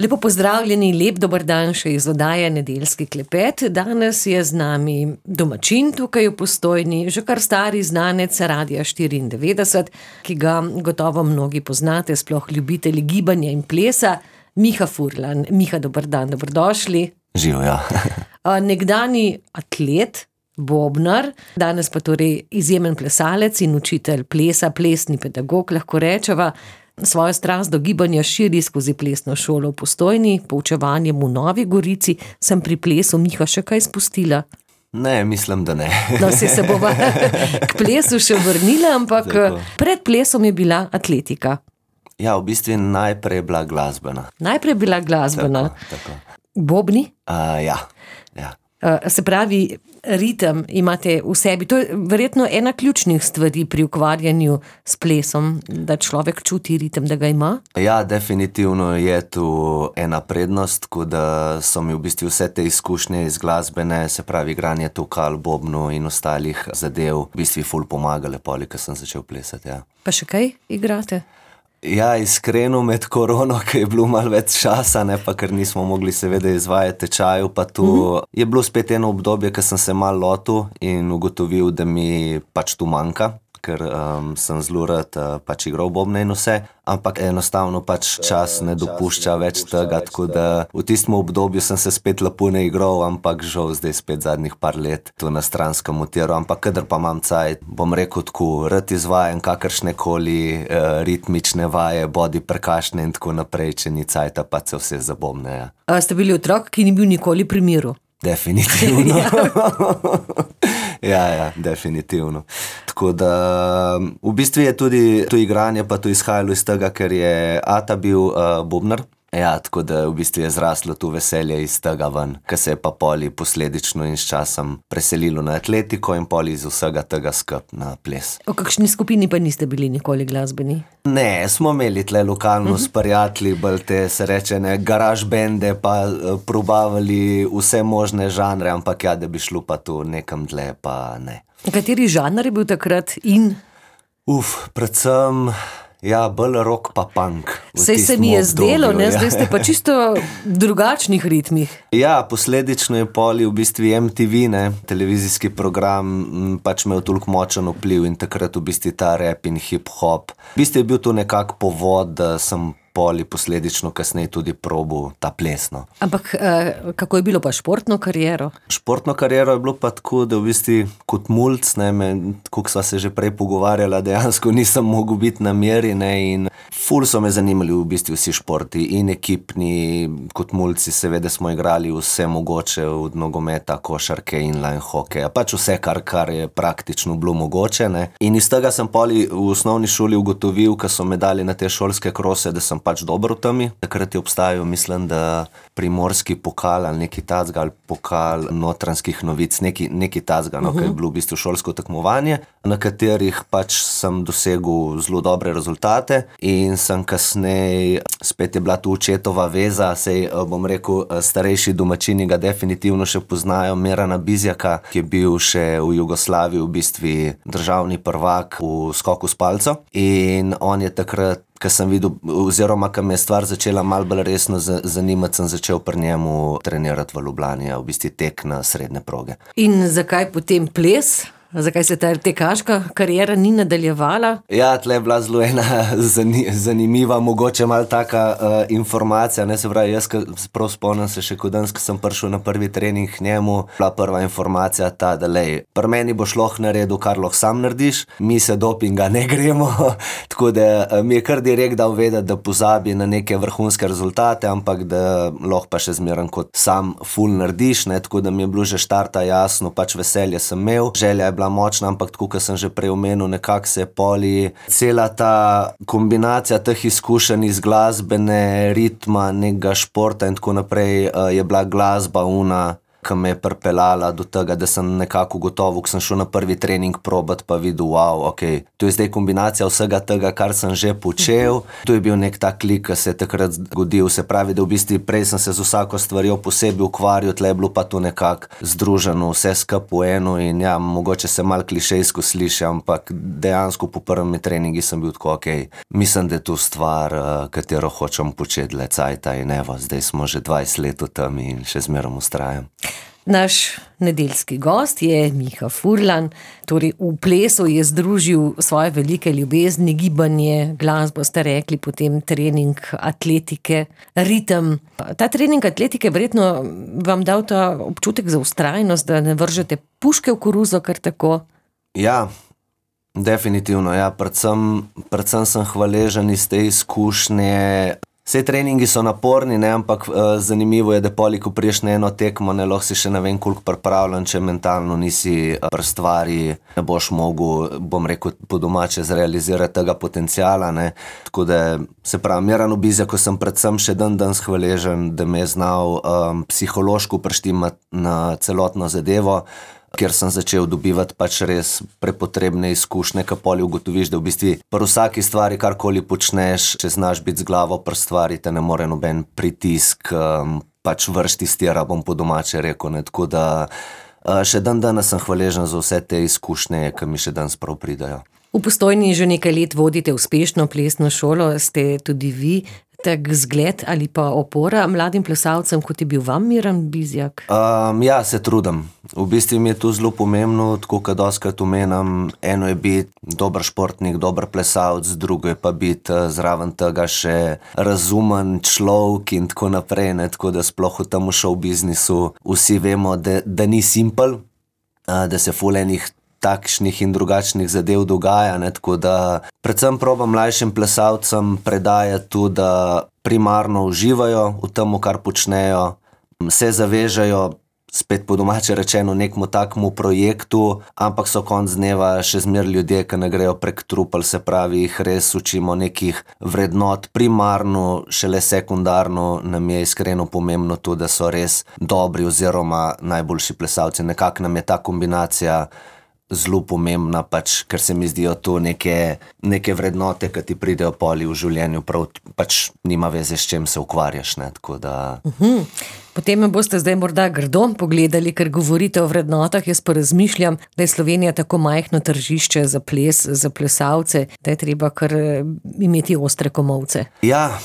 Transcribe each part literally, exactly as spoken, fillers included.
Lepo pozdravljeni, lep dober dan še iz oddaje Nedeljski klepet. Danes je z nami domačin tukaj v Postojni, že kar stari znanec Radia štiriindevetdeset, ki ga gotovo mnogi poznate, sploh ljubitelji gibanja in plesa, Miha Furlan. Miha, dober dan, dobrodošli. Živjo. Nekdani atlet, bobnar, danes pa torej izjemen plesalec in učitelj plesa, plesni pedagog, lahko rečeva. Svojo strast do gibanja širi skozi plesno šolo v Postojni, poučevanjem v Novi Gorici. Sem pri plesu, Miha, še kaj spustila? Ne, mislim, da ne. No, si se bova k plesu še vrnila, ampak Tako. Pred plesom je bila atletika. Ja, v bistvu najprej je bila glasbena. Najprej je bila glasbena. Tako, tako. Bobni? Uh, ja, ja. Uh, se pravi, ritem imate v sebi. To je verjetno ena ključnih stvari pri ukvarjanju s plesom, da človek čuti ritem, da ga ima? Ja, definitivno je tu ena prednost, ko da so mi v bistvu vse te izkušnje iz glasbene, se pravi igranje tukal, bobnu in ostalih zadev, v bistvu ful pomagale poli, ko sem začel plesati, ja. Pa še kaj igrate? Ja, iskreno med korono, ki je bilo malo več časa, ne pa, ker nismo mogli seveda izvajati tečaju, pa tu mm-hmm. je bilo spet eno obdobje, ko sem se malo lotil in ugotovil, da mi pač tu manjka, ker um, sem zelo rad uh, pač igral bobne in vse, ampak enostavno pač čas ne dopušča več tega, tako da v tistem obdobju sem se spet lepo ne igral, ampak žal zdaj spet zadnjih par let tu na stranskem utiru, ampak kadar pa imam cajt, bom rekel tako, rad izvajam kakršne koli uh, ritmične vaje, body percussion in tako naprej, če ni cajta, pa se vse zabobne. Ja. A ste bili otrok, ki ni bil nikoli pri miru? Definitivno. Ja, ja, definitivno. Tako da v bistvu je tudi to igranje pa to izhajalo iz tega, ker je ata bil uh, bobnar. Ja, tako da v bistvu je zraslo to veselje iz tega ven, ker se je pa poli posledično in s časom preselilo na atletiko in poli iz vsega tega skup na ples. O kakšni skupini pa niste bili nikoli glasbeni? Ne, smo imeli tle lokalno uh-huh. s prijatelji, bolj te se reče ne, garaž bende, pa uh, probavali vse možne žanre, ampak ja, da bi šlo pa tu nekam dlje, pa ne. Kateri žanr je bil takrat in? Uf, predvsem... Ja, bolj rock pa punk. Sej se mi je zdelo, ne? Zdaj ste pa čisto drugačnih ritmih. Ja, posledično je poli v bistvu em te ve, ne, televizijski program, pač imel toliko močen vpliv in takrat v bistvu ta rap in hip-hop. V bistvu je bil to nekak povod, da sem poli posledično kasneje tudi probil ta plesno. Ampak eh, kako je bilo pa športno kariero? Športno kariero je bilo pa tako, da v bistvu kot mulc, ne, me, kako sva se že prej pogovarjala, dejansko nisem mogel biti na meri, ne, in ful so me zanimali v bistvu vsi športi in ekipni, kot mulci seveda smo igrali vse mogoče od nogometa, košarke, inline hokeja, pač vse, kar, kar je praktično bilo mogoče, ne. In iz tega sem poli v osnovni šoli ugotovil, ko so me dali na te šolske krose, da sem pač dobro v temi. Takrat je obstajal, mislim, da primorski pokal ali neki tacga ali pokal Notranjskih novic, neki, neki tacga, no, uh-huh. ki je bilo v bistvu šolsko tekmovanje, na katerih pač sem dosegel zelo dobre rezultate in sem kasneje, spet je bila tu očetova veza, sej bom rekel, starejši domačini ga definitivno še poznajo, Mirana Bizjaka, ki je bil še v Jugoslaviji v bistvu državni prvak v skoku s palco in on je takrat, ko sem videl, oziroma ko me je stvar začela malo bolj resno zanimati, sem začel pri njemu trenirati v Ljubljani, v bistvu tek na srednje proge. In zakaj potem ples? Zakaj se ta tekaška kariera ni nadaljevala? Ja, tle je bila zelo ena zanimiva, mogoče malo taka uh, informacija, ne, se pravi, jaz prav spomnim se še, ko danes, ko sem prišel na prvi trening njemu, bila prva informacija ta, da lej, pri meni boš lahko naredil, kar lahko sam narediš, mi se dopinga ne gremo, tako da uh, mi je kar direkt dal vedeti, da pozabi na neke vrhunske rezultate, ampak da lahko pa še zmeren kot sam ful narediš, ne, tako da mi je bilo že štarta jasno, pač veselje sem imel, želja je bila močna, ampak tako, kot sem že prej omenil, nekako se je poli cela ta kombinacija teh izkušenj iz glasbene, ritma, nekega športa in tako naprej, je bila glasba una ki me je pripeljala do tega, da sem nekako gotovo, ko sem šel na prvi trening probat, pa videl, wow, ok, to je zdaj kombinacija vsega tega, kar sem že počel. To je bil nek tak klik, ki se je takrat zgodil, se pravi, da v bistvu prej sem se z vsako stvarjo posebej ukvarjal, tle je bilo pa to nekako združeno, vse skupaj v eno in ja, mogoče se malo klišejsko sliši, ampak dejansko po prvem treningi sem bil tako, ok, mislim, da je to stvar, katero hočem početi le cajta in evo, zdaj smo že dvajset let v tem in še zmerom ustrajam. Naš nedeljski gost je Miha Furlan, torej v plesu je združil svoje velike ljubezni, gibanje, glasbo ste rekli, potem trening atletike, ritem. Ta trening atletike verjetno vam dal ta občutek za vztrajnost, da ne vržete puške v koruzo kar tako? Ja, definitivno, ja, predvsem, predvsem sem hvaležen iz te izkušnje. Vse treningi so naporni, ne, ampak uh, zanimivo je, da poli, ko priješ na eno tekmo, ne, lahko si še ne vem koliko pripravljen, če mentalno nisi uh, pri stvari, ne boš mogel, bom rekel, po domače zrealizirati tega potenciala, ne. Tako da, se pravi, Miranu Bizjaku sem predvsem še dan danes hvaležen, da me je znal um, psihološko preštimati na celotno zadevo, ker sem začel dobivati pač res prepotrebne izkušnje, ka poli ugotoviš, da v bistvu pri vsaki stvari, karkoli počneš, če znaš biti z glavo pri stvari, te ne more noben pritisk, um, pač vršti stira, bom po domače rekel, ne, tako da uh, še dan danes sem hvaležen za vse te izkušnje, ki mi še danes prav pridajo. V Postojni že nekaj let vodite uspešno plesno šolo, ste tudi vi tak zgled ali pa opora mladim plesalcem, kot je bil vam Miran Bizjak? Um, ja, se trudim. V bistvu mi je to zelo pomembno, tako kot doskrat omenjam, eno je biti dober športnik, dober plesalc, drugo je pa biti zraven tega še razumen človek in tako naprej, ne, tako da sploh v tem show biznisu vsi vemo, da, da ni simpel, da se ful enih takšnih in drugačnih zadev dogaja, ne, tako da predvsem probam mlajšim plesalcem predajati to, da primarno uživajo v tem, kar počnejo, se zavežejo, spet po domače rečeno, nekmu takmu projektu, ampak so konc dneva še zmer ljudje, ki ne grejo prek trupel, se pravi, jih res učimo nekih vrednot, primarno, šele sekundarno nam je iskreno pomembno to, da so res dobri oziroma najboljši plesalci. Nekako nam je ta kombinacija zelo pomembna, pač, ker se mi zdijo to neke, neke vrednote, ki ti pridejo poli v življenju, prav pač nima veze, s čem se ukvarjaš, ne, tako da... Uhum. Potem me boste zdaj morda grdo pogledali, ker govorite o vrednotah, jaz pa razmišljam, da je Slovenija tako majhno tržišče za ples, za plesalce, da je treba kar imeti ostre komolce. Ja,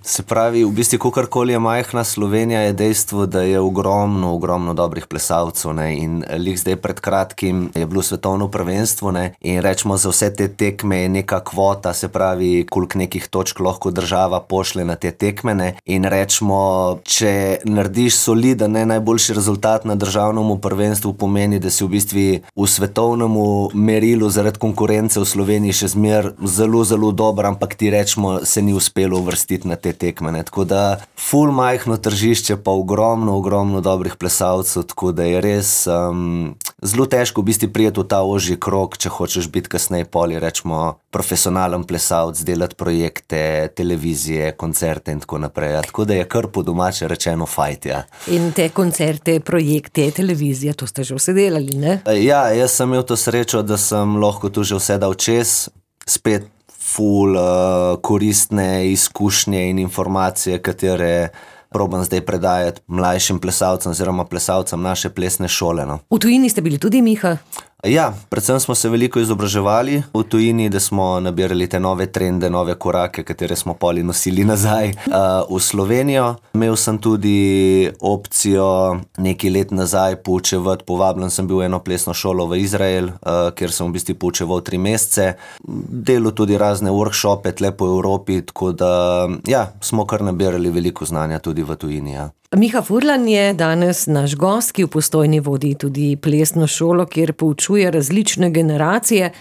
se pravi, v bistvu, kakorkoli je majhna Slovenija, je dejstvo, da je ogromno, ogromno dobrih plesalcev, ne, in lih zdaj pred kratkim je bilo svetovno prvenstvo, ne, in rečemo, za vse te tekme je neka kvota, se pravi, koliko nekih točk lahko država pošle na te tekme, ne, in rečemo, če narediš soliden, ne, najboljši rezultat na državnemu prvenstvu, pomeni, da si v bistvu v svetovnemu merilu zaradi konkurence v Sloveniji še zmer zelo, zelo dober, ampak ti rečemo, se ni uspelo uvrstiti na te tekme, ne. Tako da ful majhno tržišče, pa ogromno, ogromno dobrih plesalcev, tako da je res um, zelo težko v bistvu prijeti v ta ožji krog, če hočeš biti kasneje poli, rečemo, profesionalen plesalc, delati projekte, televizije, koncerte in tako naprej. Ja, tako da je kar po domače rečeno fajt, ja. In te koncerte, projekte, televizije, to ste že vse delali, ne? Ja, jaz sem imel to srečo, da sem lahko tu že vse dal čez, spet ful uh, koristne izkušnje in informacije, katere probam zdaj predajati mlajšim plesalcem oziroma plesalcem naše plesne šole, no. V tujini ste bili tudi, Miha? Ja, predvsem smo se veliko izobraževali v tujini, da smo nabirali te nove trende, nove korake, katere smo poli nosili nazaj uh, v Slovenijo. Imel sem tudi opcijo nekaj let nazaj poučevati, povabljen sem bil v eno plesno šolo v Izrael, uh, kjer sem v bistvu poučeval tri mesece. Delal tudi razne workshope tle po Evropi, tako da ja, smo kar nabirali veliko znanja tudi v tujini, ja. Miha Furlan je danes naš gost, ki v Postojni vodi tudi plesno šolo, kjer poučuje različne generacije.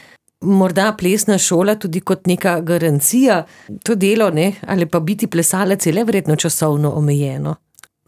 Morda plesna šola tudi kot neka garancija, to delo, ne, ali pa biti plesalec je le verjetno časovno omejeno?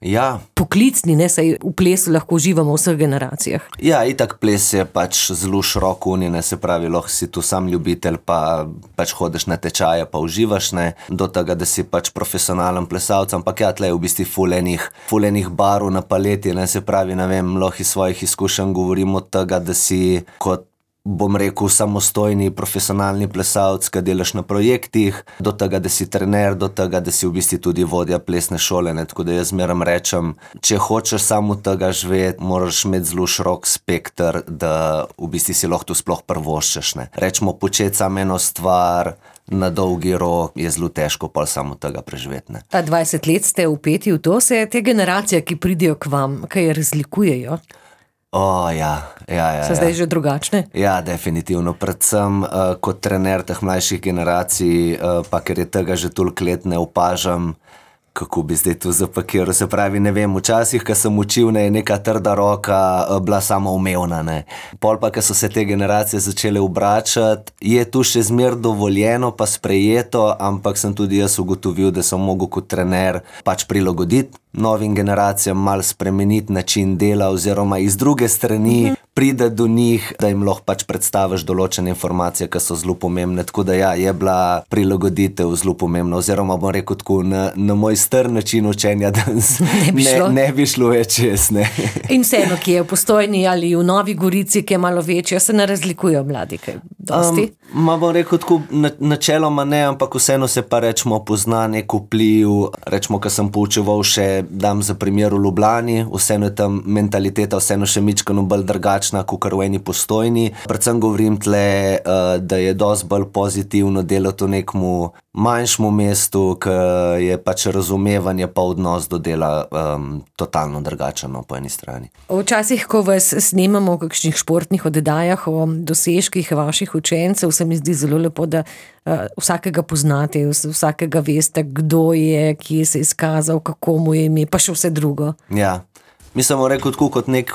Ja. Poklicni, ne, saj v plesu lahko uživamo v vseh generacijah. Ja, itak ples je pač zelo širok unij, ne, se pravi, lahko si tu sam ljubitelj, pa pač hodiš na tečaje, pa uživaš, ne, do tega, da si pač profesionalen plesalec, ampak ja, tle je v bistvu ful enih, ful enih barv na paleti, ne, se pravi, ne vem, lahko iz svojih izkušenj govorim od tega, da si kot bom rekel, samostojni profesionalni plesalec, ki delaš na projektih, do tega, da si trener, do tega, da si v bistvu tudi vodja plesne šole, ne, tako da jaz zmeram rečem, če hočeš samo tega živeti, moraš imeti zelo širok spekter, da v bistvu si lahko tu sploh prvoščeš, ne. Rečemo, početi samo eno stvar na dolgi rok je zelo težko pol samo tega preživeti, ne. A dvajset let ste vpeti v to, se te generacije, ki pridejo k vam, kaj razlikujejo? O, ja, ja, ja. So zdaj že drugačne? Ja, definitivno. Predvsem uh, kot trener teh mlajših generacij, uh, pa ker je tega že toliko let ne opažam, kako bi zdaj to zapakiral. Se pravi, ne vem, včasih, ko sem učil, ne, je neka trda roka uh, bila samoumevna, ne. Pol pa, ko so se te generacije začele obračati, je tu še zmer dovoljeno pa sprejeto, ampak sem tudi jaz ugotovil, da sem mogel kot trener pač prilagoditi novim generacijam, malo spremeniti način dela oziroma iz druge strani pride do njih, da jim lahko pač predstaviš določene informacije, ki so zelo pomembne. Tako da ja, je bila prilagoditev zelo pomembna, oziroma bom rekel tako, na, na moj star način učenja, da ne bi šlo, ne, ne bi šlo več čez, ne. In vseeno, ki je v Postojni ali v Novi Gorici, ki je malo večja, se ne razlikujejo mladi, kaj dosti? Um, ma bom rekel tako, na, načeloma ne, ampak vseeno se pa rečemo pozna nek vpliv, rečemo, ko sem poučeval še, dam za primer v Ljubljani, vseeno je tam mentaliteta vseeno še mičkano bolj drugačna, kakor v eni Postojni. Predvsem govorim tle, uh, da je dosti bolj pozitivno delati v nekmu manjšemu mestu, ki je pač razumevanje pa odnos do dela um, totalno drugačen po eni strani. Včasih, ko vas snemamo v kakšnih športnih oddajah o dosežkih vaših učencev, se mi zdi zelo lepo, da uh, vsakega poznate, vsakega veste, kdo je, kje se je izkazal, kako mu je ime, pa še vse drugo. Ja, mi smo rekel tako kot nek,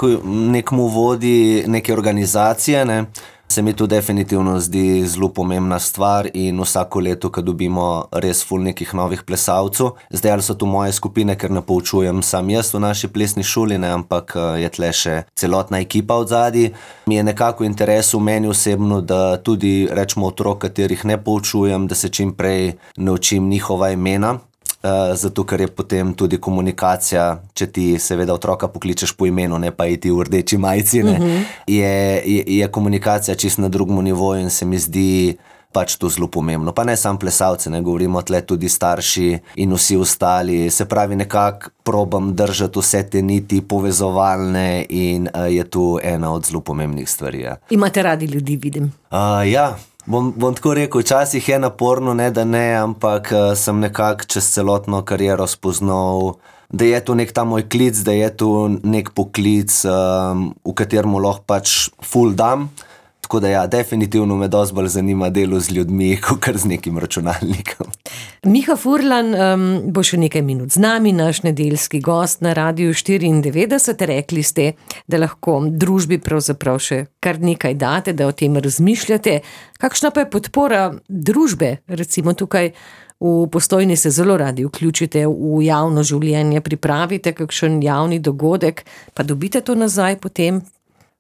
nekmu vodi neke organizacije, ne, se mi to definitivno zdi zelo pomembna stvar in vsako leto, ko dobimo res ful nekih novih plesalcev, zdaj ali so tu moje skupine, ker ne poučujem sam jaz v naši plesni šoli, ne, ampak je tle še celotna ekipa od zadaj, mi je nekako interes v meni osebno, da tudi rečemo otrok, katerih ne poučujem, da se čim prej naučim njihova imena. Uh, zato, ker je potem tudi komunikacija, če ti seveda otroka pokličeš po imenu, ne pa iti v rdeči majici, ne, uh-huh. je, je, je komunikacija čisto na drugem nivoju in se mi zdi pač to zelo pomembno. Pa ne samo plesalci, ne, govorimo tle tudi starši in vsi ostali, se pravi nekako probam držati vse te niti povezovalne in uh, je tu ena od zelo pomembnih stvari. Ja. Imate radi ljudi, vidim. Uh, ja. Bom, bom tako rekel, včasih je naporno, ne da ne, ampak uh, sem nekako čez celotno kariero spoznal, da je to nek ta moj klic, da je to nek poklic, um, v katerem lahko pač ful dam. Tako da ja, definitivno me dosti bolj zanima delo z ljudmi, kakor z nekim računalnikom. Miha Furlan um, bo še nekaj minut z nami, naš nedeljski gost na Radiu štiriindevetdeset. Rekli ste, da lahko družbi pravzaprav še kar nekaj date, da o tem razmišljate. Kakšna pa je podpora družbe? Recimo tukaj v Postojni se zelo radi vključite v javno življenje, pripravite kakšen javni dogodek, pa dobite to nazaj potem?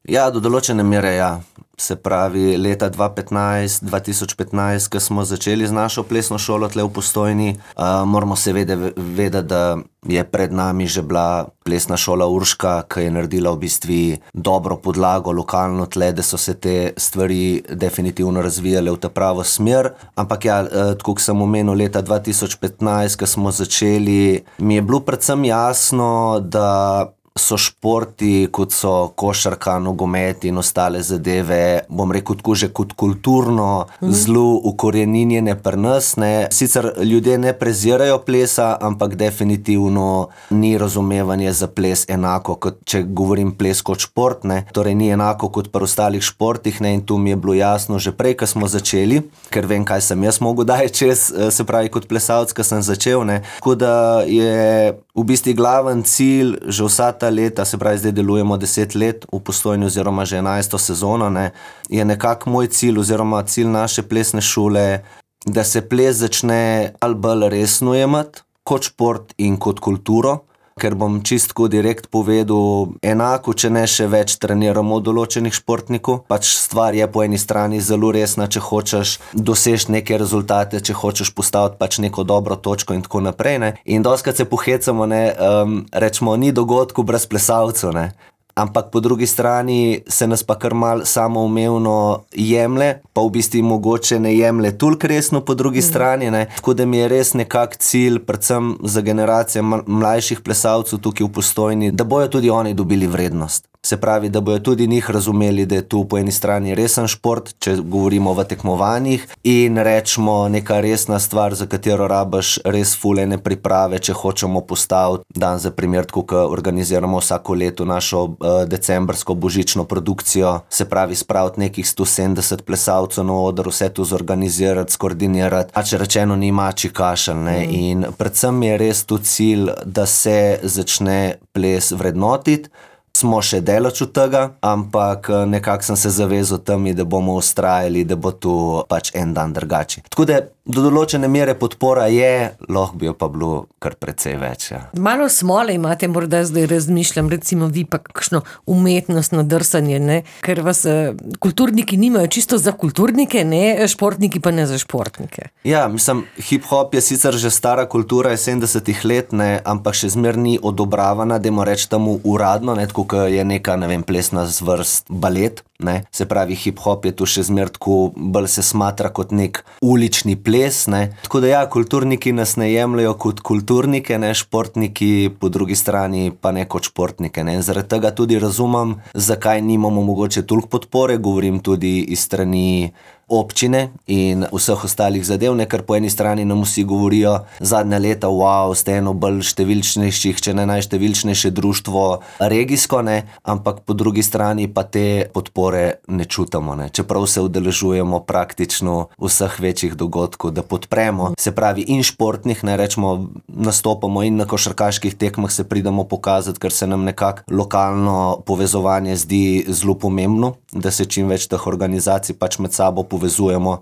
Ja, do določene mere, ja. Se pravi, leta dva petnajst, dva tisoč petnajst, ko smo začeli z našo plesno šolo tle v Postojni, uh, moramo seveda vedeti, da je pred nami že bila plesna šola Urška, ki je naredila v bistvu dobro podlago lokalno tle, da so se te stvari definitivno razvijale v ta pravo smer. Ampak ja, uh, tako kot sem omenil, leta dva tisoč petnajst, ko smo začeli, mi je bilo predvsem jasno, da so športi, kot so košarka, nogomet in ostale zadeve, bom rekel tako že kot kulturno, mm. zelo ukoreninjene pri nas, ne. Sicer ljudje ne prezirajo plesa, ampak definitivno ni razumevanje za ples enako, kot če govorim ples kot šport, ne. Torej ni enako kot pri ostalih športih, ne, in tu mi je bilo jasno že prej, ko smo začeli, ker vem, kaj sem jaz mogel daj čez, se pravi kot plesalec, ko sem začel, ne. Tako da je v bistvu glaven cilj že vsa ta leta, se pravi zdaj delujemo deset let v Postojni oziroma že enajsto sezono, ne, je nekako moj cilj oziroma cilj naše plesne šole, da se ples začne ali bolj resno jemati kot šport in kot kulturo. ker bom čistko direkt povedal, enako, če ne še več treniramo določenih športnikov. Pač stvar je po eni strani zelo resna, če hočeš doseči neke rezultate, če hočeš postaviti pač neko dobro točko in tako naprej, ne. In dostikrat se pohecamo, ne, um, rečemo, ni dogodku brez plesalcev, ne. Ampak po drugi strani se nas pa kar mal samoumevno jemlje, pa v bistvu mogoče ne jemlje toliko resno po drugi mm. strani, ne. Tako da mi je res nekak cilj, predvsem za generacije mlajših plesalcev tukaj v Postojni, da bojo tudi oni dobili vrednost. Se pravi, da bojo tudi njih razumeli, da je tu po eni strani resen šport, če govorimo v tekmovanjih, in rečemo neka resna stvar, za katero rabiš res fulene priprave, če hočemo postaviti dan za primer, tako kot organiziramo vsako leto našo uh, decembrsko božično produkcijo, se pravi spraviti nekih sto sedemdeset plesalcev na oder, vse to zorganizirati, skoordinirati, a če rečeno ni mačji kašelj, ne, mm. in predvsem je res tu cilj, da se začne ples vrednotiti. Smo še daleč od tega, ampak nekako sem se zavezal temi, da bomo vztrajali, da bo tu pač en dan drugače. Tako da do določene mere podpora je, lahko bi jo pa bilo kar precej več. Ja. Malo smole imate, morda zdaj razmišljam, recimo vi pa kakšno umetnostno drsanje, ne? Ker vas kulturniki nimajo čisto za kulturnike, ne? Športniki pa ne za športnike. Ja, mislim, hip-hop je sicer že stara kultura, je sedemdesetih let, ne, ampak še zmer ni odobravana, dajmo reči temu uradno, ne, tako kot je neka, ne vem, plesna zvrst balet, ne. Se pravi, hip-hop je tu še zmer tako, bolj se smatra kot nek ulični ples, ne. Tako da ja, kulturniki nas ne jemljajo kot kulturnike, ne, športniki po drugi strani pa ne kot športnike, ne. Zaradi tega tudi razumem, zakaj nimamo mogoče toliko podpore, govorim tudi iz strani občine in vseh ostalih zadev, ne, ker po eni strani nam vsi govorijo zadnja leta, wow, ste eno bolj številčnejših, če ne najštevilčnejše društvo regijsko, ne, ampak po drugi strani pa te podpore ne čutamo, ne, čeprav se udeležujemo praktično vseh večjih dogodkov, da podpremo, se pravi in športnih, ne, rečemo, nastopamo in na košarkaških tekmah se pridemo pokazati, ker se nam nekako lokalno povezovanje zdi zelo pomembno, da se čim več teh organizacij pač med sabo povezujemo,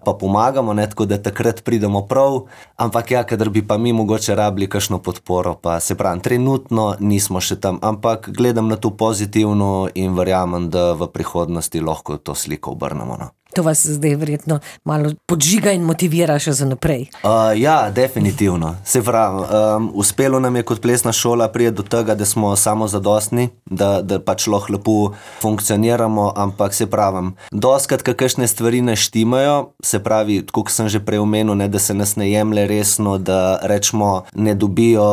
pa pomagamo, ne, tako da takrat pridemo prav, ampak ja, kadar bi pa mi mogoče rabili kakšno podporo, pa se pravim, trenutno nismo še tam, ampak gledam na to pozitivno in verjamem, da v prihodnosti lahko to sliko obrnemo, no. To vas zdaj verjetno malo podžiga in motivira še za naprej. Uh, ja, definitivno. Se pravi, um, uspelo nam je kot plesna šola priti do tega, da smo samozadostni, da, da pač lahko lepo funkcioniramo, ampak se pravim, dostikrat kakšne stvari ne štimajo, se pravi, tako kot sem že prej omenil, ne, da se nas ne jemlje resno, da rečemo, ne dobijo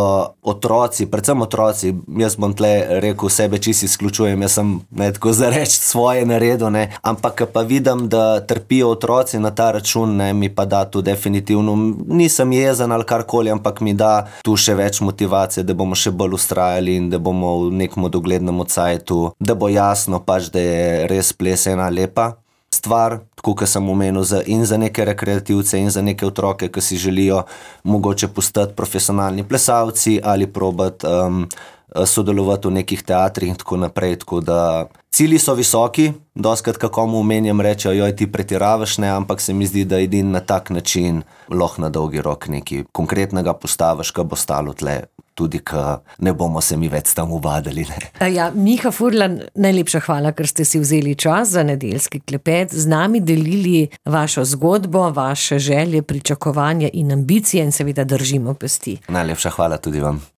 otroci, predvsem otroci, jaz bom tle rekel, sebe čisto izključujem, jaz sem, ne, tako za reči svoje naredil, ne, ampak pa vidim, da trpijo otroci na ta račun, ne, mi pa da tu definitivno, nisem jezen ali karkoli, ampak mi da tu še več motivacije, da bomo še bolj ustrajali in da bomo v nekem doglednem cajtu, da bo jasno pač, da je res ples ena lepa stvar, tako kot sem omenil, za, in za neke rekreativce in za neke otroke, ki si želijo mogoče postati profesionalni plesalci ali probati um, sodelovati v nekih teatrih in tako naprej, tako da cilji so visoki, dostikrat kako mu omenjam rečejo, joj, ti pretiravaš, ne, ampak se mi zdi, da edin na tak način lahko na dolgi rok nekaj konkretnega postaviš, ka bo stalo tle, tudi ka ne bomo se mi več tam ubadali, ne. Ja, Miha Furlan, najlepša hvala, ker ste si vzeli čas za nedeljski klepet, z nami delili vašo zgodbo, vaše želje, pričakovanja in ambicije in seveda držimo pesti. Najlepša hvala tudi vam.